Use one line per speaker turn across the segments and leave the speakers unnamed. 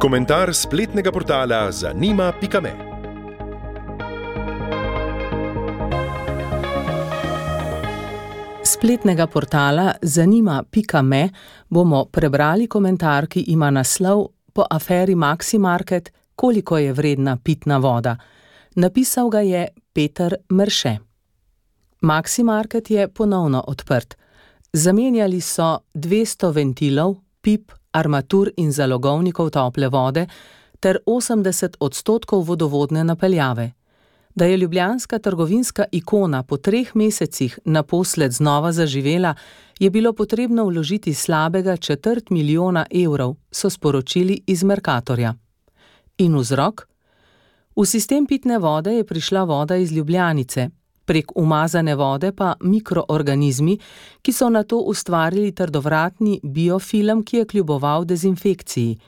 Komentar spletnega portala zanima.me.
Spletnega portala zanima.me bomo prebrali komentar, ki ima naslov Po aferi Maximarket, koliko je vredna pitna voda. Napisal ga je Peter Mrše. Maximarket je ponovno odprt. Zamenjali so 200 ventilov, pip, armatur in zalogovnikov tople vode ter 80% vodovodne napeljave. Da je ljubljanska trgovinska ikona po 3 mesecih naposled znova zaživela, je bilo potrebno vložiti slabega 250 000 evrov, so sporočili iz Mercatorja. In vzrok? V sistem pitne vode je prišla voda iz Ljubljanice, prek umazane vode pa mikroorganizmi, ki so nato ustvarili trdovratni biofilm, ki je kljuboval dezinfekciji.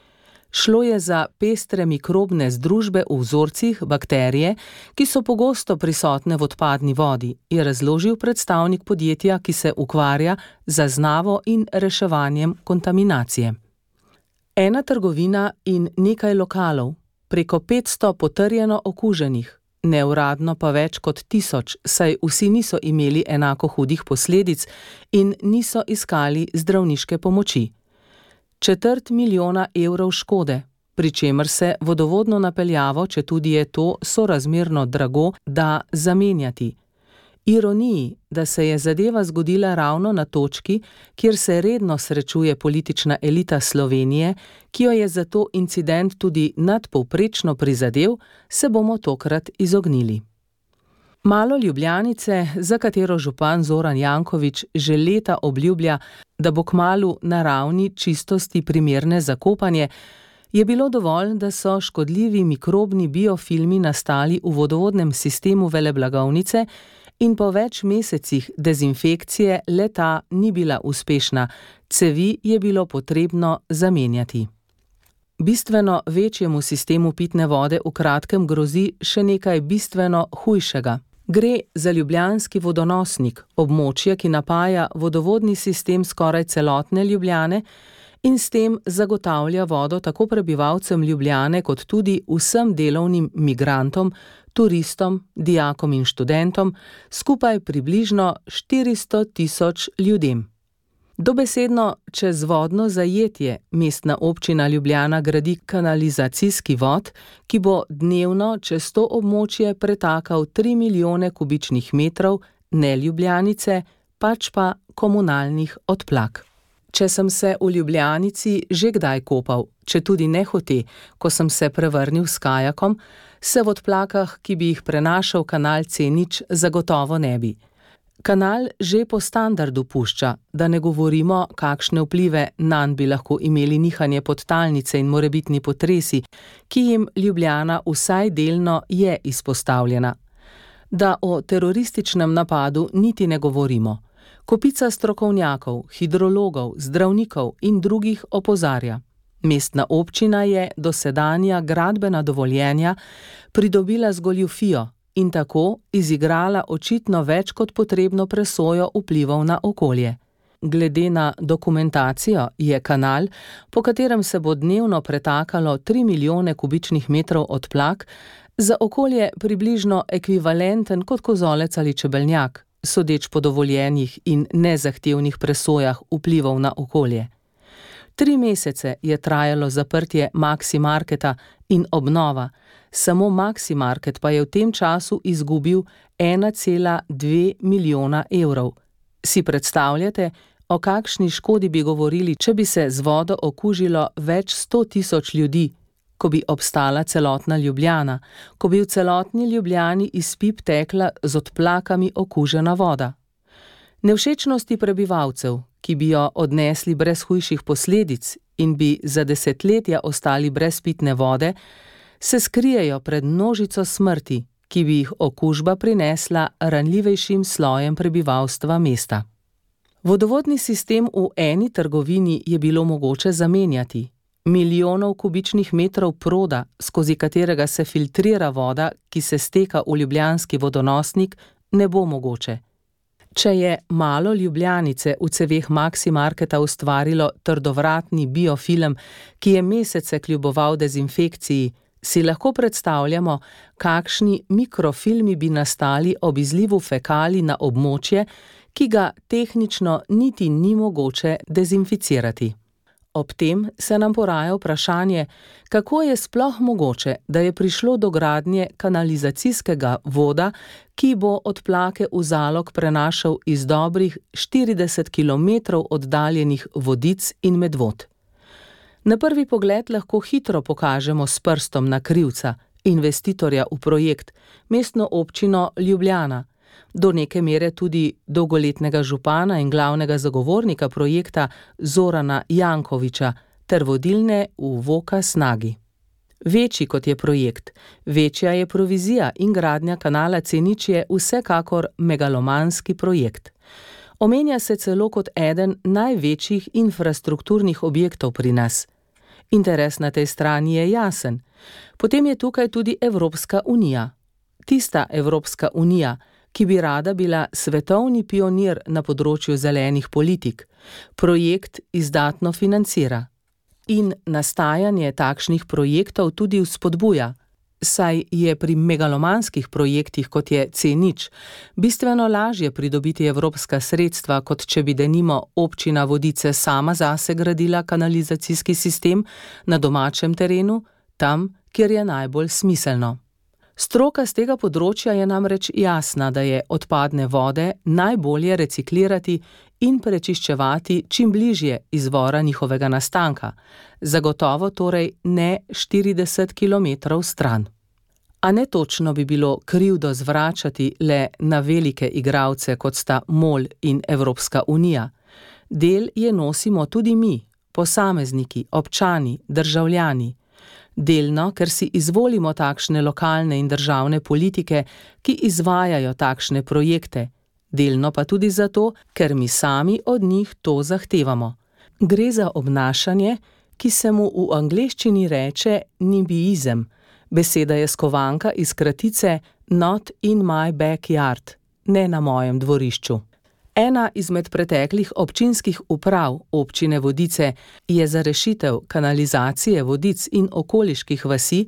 Šlo je za pestre mikrobne združbe v vzorcih bakterije, ki so pogosto prisotne v odpadni vodi, je razložil predstavnik podjetja, ki se ukvarja z zaznavo in reševanjem kontaminacije. Ena trgovina in nekaj lokalov, preko 500 potrjeno okuženih, neuradno pa več kot 1000, saj vsi niso imeli enako hudih posledic in niso iskali zdravniške pomoči. 250 000 evrov škode, pri čemer se vodovodno napeljavo, četudi je to sorazmerno drago, da zamenjati. Ironiji, da se je zadeva zgodila ravno na točki, kjer se redno srečuje politična elita Slovenije, ki jo je zato incident tudi nadpovprečno prizadel, se bomo tokrat izognili. Malo Ljubljanice, za katero župan Zoran Janković že leta obljublja, da bo kmalu naravni čistosti primerne za kopanje, je bilo dovolj, da so škodljivi mikrobni biofilmi nastali v vodovodnem sistemu veleblagovnice in po več mesecih dezinfekcije le-ta ni bila uspešna, cevi je bilo potrebno zamenjati. Bistveno večjemu sistemu pitne vode v kratkem grozi še nekaj bistveno hujšega. Gre za ljubljanski vodonosnik, območje, ki napaja vodovodni sistem skoraj celotne Ljubljane in s tem zagotavlja vodo tako prebivalcem Ljubljane kot tudi vsem delovnim migrantom, turistom, dijakom in študentom, skupaj približno 400 000 ljudem. Dobesedno čez vodno zajetje mestna občina Ljubljana gradi kanalizacijski vod, ki bo dnevno čez to območje pretakal 3 milijone kubičnih metrov ne Ljubljanice, pač pa komunalnih odplak. Če sem se v Ljubljanici že kdaj kopal, četudi nehote, ko sem se prevrnil s kajakom, se v odplakah, ki bi jih prenašal kanal C0, zagotovo ne bi. Kanal že po standardu pušča, da ne govorimo, kakšne vplive nanj bi lahko imeli nihanje podtalnice in morebitni potresi, ki jim Ljubljana vsaj delno je izpostavljena. Da o terorističnem napadu niti ne govorimo. Kopica strokovnjakov, hidrologov, zdravnikov in drugih opozarja. Mestna občina je dosedanja gradbena dovoljenja pridobila z goljufijo in tako izigrala očitno več kot potrebno presojo vplivov na okolje. Glede na dokumentacijo je kanal, po katerem se bo dnevno pretakalo 3 milijone kubičnih metrov odplak, za okolje približno ekvivalenten kot kozolec ali čebeljak, sodeč po dovoljenjih in nezahtevnih presojah vplivov na okolje. 3 mesece je trajalo zaprtje Maximarketa in obnova, samo Maximarket pa je v tem času izgubil 1,2 milijona evrov. Si predstavljate, o kakšni škodi bi govorili, če bi se z vodo okužilo več 100 000 ljudi, ko bi obstala celotna Ljubljana, ko bi v celotni Ljubljani iz pip tekla z odplakami okužena voda. Nevšečnosti prebivalcev, ki bi jo odnesli brez hujših posledic in bi za desetletja ostali brez pitne vode, se skrijejo pred množico smrti, ki bi jih okužba prinesla ranljivejšim slojem prebivalstva mesta. Vodovodni sistem v eni trgovini je bilo mogoče zamenjati. Milijonov kubičnih metrov proda, skozi katerega se filtrira voda, ki se steka v ljubljanski vodonosnik, ne bo mogoče. Če je malo Ljubljanice v ceveh Maximarketa ustvarilo trdovratni biofilm, ki je mesece kljuboval dezinfekciji, si lahko predstavljamo, kakšni mikrofilmi bi nastali ob izlivu fekalij na območje, ki ga tehnično niti ni mogoče dezinficirati. Ob tem se nam poraja vprašanje, kako je sploh mogoče, da je prišlo do gradnje kanalizacijskega voda, ki bo odplake v Zalog prenašal iz dobrih 40 kilometrov oddaljenih Vodic in Medvod. Na prvi pogled lahko hitro pokažemo s prstom na krivca, investitorja v projekt, mestno občino Ljubljana, do neke mere tudi dolgoletnega župana in glavnega zagovornika projekta Zorana Jankovića ter vodilne v VOKA Snagi. Večji kot je projekt, večja je provizija in gradnja kanala C0 je vsekakor megalomanski projekt. Omenja se celo kot eden največjih infrastrukturnih objektov pri nas. Interes na tej strani je jasen. Potem je tukaj tudi Evropska unija. Tista Evropska unija, ki bi rada bila svetovni pionir na področju zelenih politik, projekt izdatno financira. In nastajanje takšnih projektov tudi vzpodbuja, saj je pri megalomanskih projektih, kot je C0, bistveno lažje pridobiti evropska sredstva, kot če bi denimo občina Vodice sama zase gradila kanalizacijski sistem na domačem terenu, tam, kjer je najbolj smiselno. Stroka z tega področja je namreč jasna, da je odpadne vode najbolje reciklirati in prečiščevati čim bližje izvora njihovega nastanka, zagotovo torej ne 40 kilometrov stran. A ne točno bi bilo krivdo zvračati le na velike igralce, kot sta MOL in Evropska unija. Del je nosimo tudi mi, posamezniki, občani, državljani. Delno, ker si izvolimo takšne lokalne in državne politike, ki izvajajo takšne projekte, delno pa tudi zato, ker mi sami od njih to zahtevamo. Gre za obnašanje, ki se mu v angleščini reče NIMBYism. Beseda je skovanka iz kratice Not in my backyard, ne na mojem dvorišču. Ena izmed preteklih občinskih uprav občine Vodice je za rešitev kanalizacije Vodic in okoliških vasi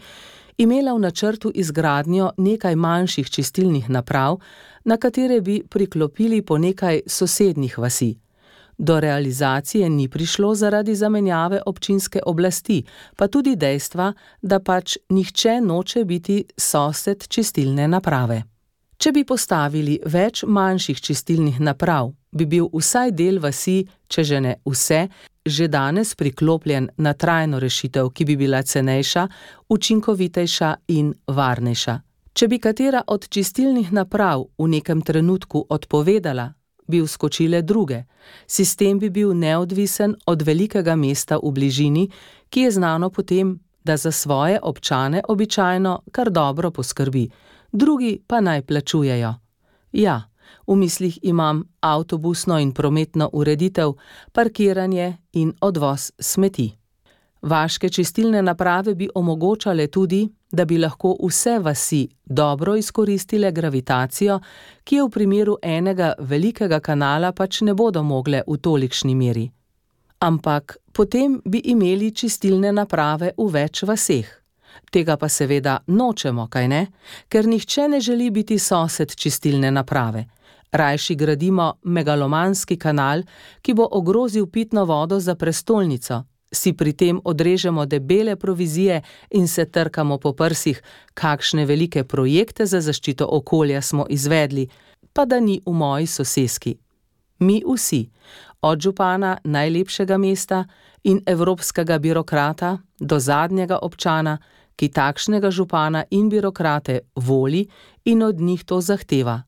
imela v načrtu izgradnjo nekaj manjših čistilnih naprav, na katere bi priklopili po nekaj sosednjih vasi. Do realizacije ni prišlo zaradi zamenjave občinske oblasti, pa tudi dejstva, da pač nihče noče biti sosed čistilne naprave. Če bi postavili več manjših čistilnih naprav, bi bil vsaj del vasi, če že ne vse, že danes priklopljen na trajno rešitev, ki bi bila cenejša, učinkovitejša in varnejša. Če bi katera od čistilnih naprav v nekem trenutku odpovedala, bi vskočile druge. Sistem bi bil neodvisen od velikega mesta v bližini, ki je znano potem, da za svoje občane običajno kar dobro poskrbi, drugi pa naj plačujejo. Ja, v mislih imam avtobusno in prometno ureditev, parkiranje in odvoz smeti. Vaške čistilne naprave bi omogočale tudi, da bi lahko vse vasi dobro izkoristile gravitacijo, ki je v primeru enega velikega kanala pač ne bodo mogle v tolikšni meri. Ampak potem bi imeli čistilne naprave v več vaseh. Tega pa seveda nočemo, kajne? Ker nihče ne želi biti sosed čistilne naprave. Rajši gradimo megalomanski kanal, ki bo ogrozil pitno vodo za prestolnico, si pri tem odrežemo debele provizije in se trkamo po prsih, kakšne velike projekte za zaščito okolja smo izvedli, pa da ni v moji soseski. Mi vsi, od župana najlepšega mesta in evropskega birokrata do zadnjega občana, ki takšnega župana in birokrate voli in od njih to zahteva.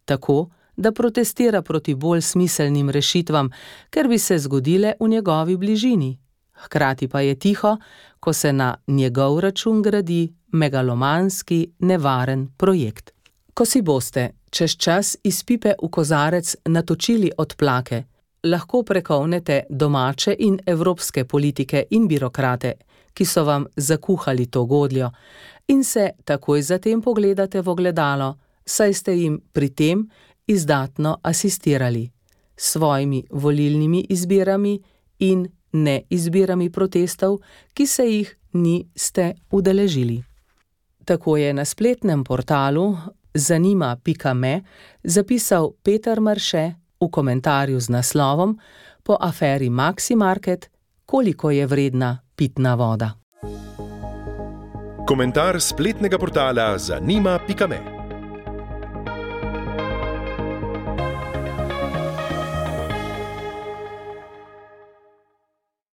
Tako, da protestira proti bolj smiselnim rešitvam, ker bi se zgodile v njegovi bližini. Hkrati pa je tiho, ko se na njegov račun gradi megalomanski, nevaren projekt. Ko si boste čez čas iz pipe v kozarec natočili odplake, lahko prekovnete domače in evropske politike in birokrate, ki so vam zakuhali to godljo, in se takoj zatem pogledate v ogledalo, saj ste jim pri tem izdatno asistirali s svojimi volilnimi izbirami in neizbirami protestov, ki se jih niste udeležili. Tako je na spletnem portalu zanima.me zapisal Peter Marše v komentarju z naslovom Po aferi Maximarket, koliko je vredna pitna voda.
Komentar spletnega portala zanima.me